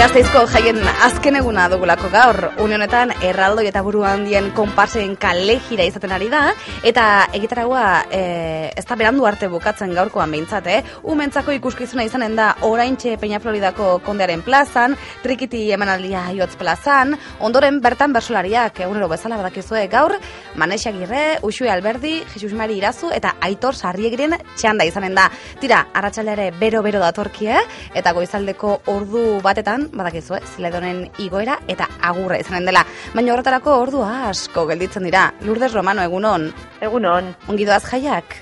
Gasteizko jaien azken eguna dugulako gaur, unionetan erraldoi eta buru handien konparsen kale jira izaten ari da, eta egitaragua ez da berandu arte bukatzen gaurkoan behintzat, umentzako ikuskizuna izanen da oraintxe Peñafloridako kondearen plazan, trikiti emanaldia Iotz plazan, ondoren bertan bersolariak egunero bezala badakizue gaur, Manex Agirre, Uxue Alberdi, Jesus Mari Irazu eta Aitor Sarriegiren txanda izanen da. Tira, arratsaldea bero-bero datorkie, eta goizaldeko ordu batetan, badakizue, Ziledonen igoera eta agurra izanen dela. Baina horretarako ordua asko gelditzen dira. Lourdes Romano, egunon. Egunon. Ongi doaz jaiak?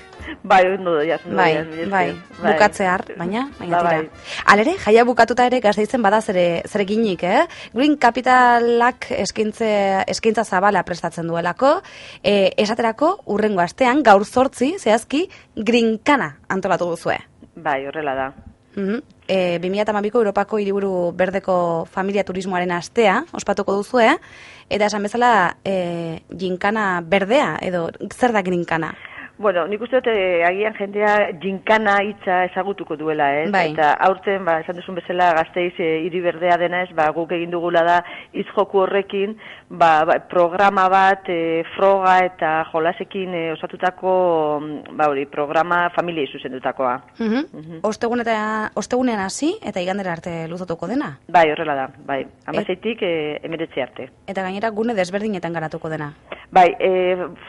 Bai, ondo doaz. Bai, bukatzear, baina tira. Alere, jaia bukatuta ere Gasteizen bada zereginik, Green Capitalak eskaintza zabala prestatzen duelako, esaterako urrengo astean gaur 8 zehazki Green Kana antolatu duzue. Bai, horrela da. 2012ko Europako Hiriburu Berdeko Familia Turismoaren astea ospatuko duzue, eta esan bezala ginkana berdea, edo zer da ginkana? Bueno, nik uste dut agian jendea ginkana hitza ezagutuko duela, ez? Bai. Eta aurten, esan duzun bezala Gasteiz hiri berdea dena ez, guk egin dugula da hitz joku horrekin, programa bat, froga eta jolasekin osatutako, programa familiei zuzendutakoa. Ostegunean hasi eta igandera arte luzatuko dena? Bai, horrela da, bai. 16tik 19 arte. Eta gainera gune desberdinetan garatuko dena? Bai,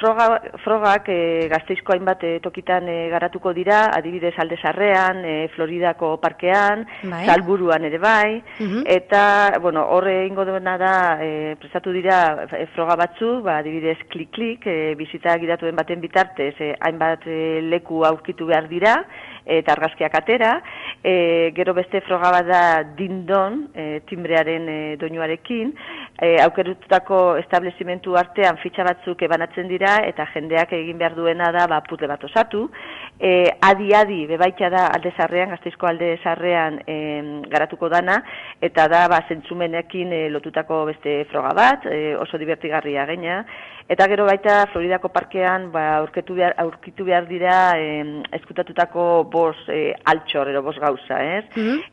frogak Gasteizko hainbat tokitan garatuko dira, adibidez Alde Zarrean, Floridako parkean, Salburuan ere bai, eta, horre ingo duena da, prestatu dira froga batzu, adibidez klik-klik, bizita gidatuen baten bitartez, hainbat leku aurkitu behar dira, eta argazkiak atera, gero beste froga bat da dindon, timbrearen doinuarekin, aukerututako establezimentu artean fitxa batzuk banatzen dira, eta jendeak egin behar duena da puzzle bat osatu. Adi-adi, bebaita da Alde Zarrean, Gasteizko Alde Zarrean garatuko dana, eta da zentzumenekin lotutako beste froga bat, oso divertigarria gaina. Eta gero baita Floridako parkean aurkitu behar dira eskutatutako 5 altxor, ero 5 gauza, ez?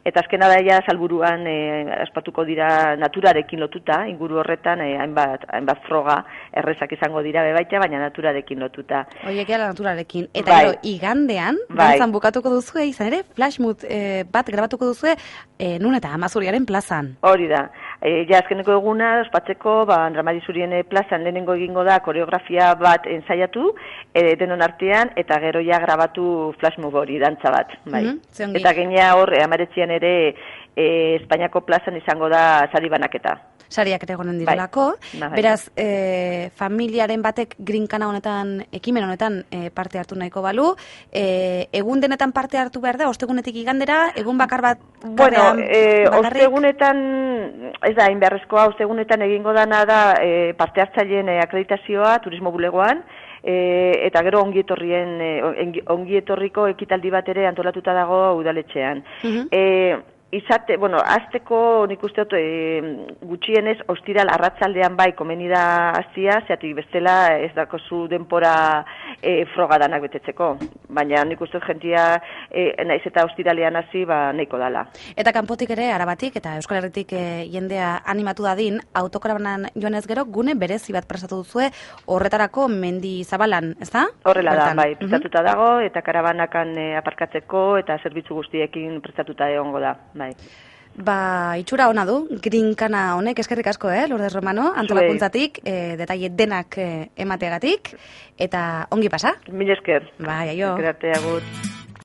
Eta azkena da Salburuan aspatuko dira naturarekin lotuta, inguru horretan hainbat froga errezak izango dira bebaita, baina naturarekin lotuta. Oiek ala naturarekin. Eta gero igandean, dantzan bukatuko duzue, izan ere, flashmood bat grabatuko duzue, nun eta Amazuriaren plazan. Hori da. Azkeneko eguna, ospatzeko, Andramari Zurien plazan lehenengo egingo da koreografia bat ensaiatu, denon artean, eta gero grabatu flashmob hori, dantza bat. Eta gainea hor, 19 ere, Espainiako plazan izango da sari banaketa. Sariak ere egonen direlako. Beraz, familiaren batek grinkana honetan, ekimen honetan parte hartu nahiko balu. Egun denetan parte hartu behar da, ostegunetik igandera, egun bakar bat? Ostegunetan, ez da, inbeharrezkoa, ostegunetan egingo dana da parte hartzaileen akreditazioa turismo bulegoan, eta gero ongietorriko ekitaldi bat ere antolatuta dago udaletxean. Azteko nik uste dut gutxienez ostiral arratsaldean komeni da hastia, zeatik bestela ez dakozu denpora frogadanak betetzeko. Baina nik uste dut jentia naiz eta ostiralean hasi nahiko dala. Eta kanpotik ere, Arabatik eta Euskal Herritik jendea animatu dadin, autokarabanan joanez gero gune berezi bat prestatu duzue horretarako Mendi Zabalan, ez da? Horrela da, bai, prestatuta dago eta karabanakan aparkatzeko eta zerbitzu guztiekin prestatuta egongo da. Itxura ona du, grinkana honek, eskerrik asko, Lourdes Romano, antolakuntzatik, detaile denak emateagatik, eta ongi pasa? Mil esker. Bai, aio. Eskerarte, agur.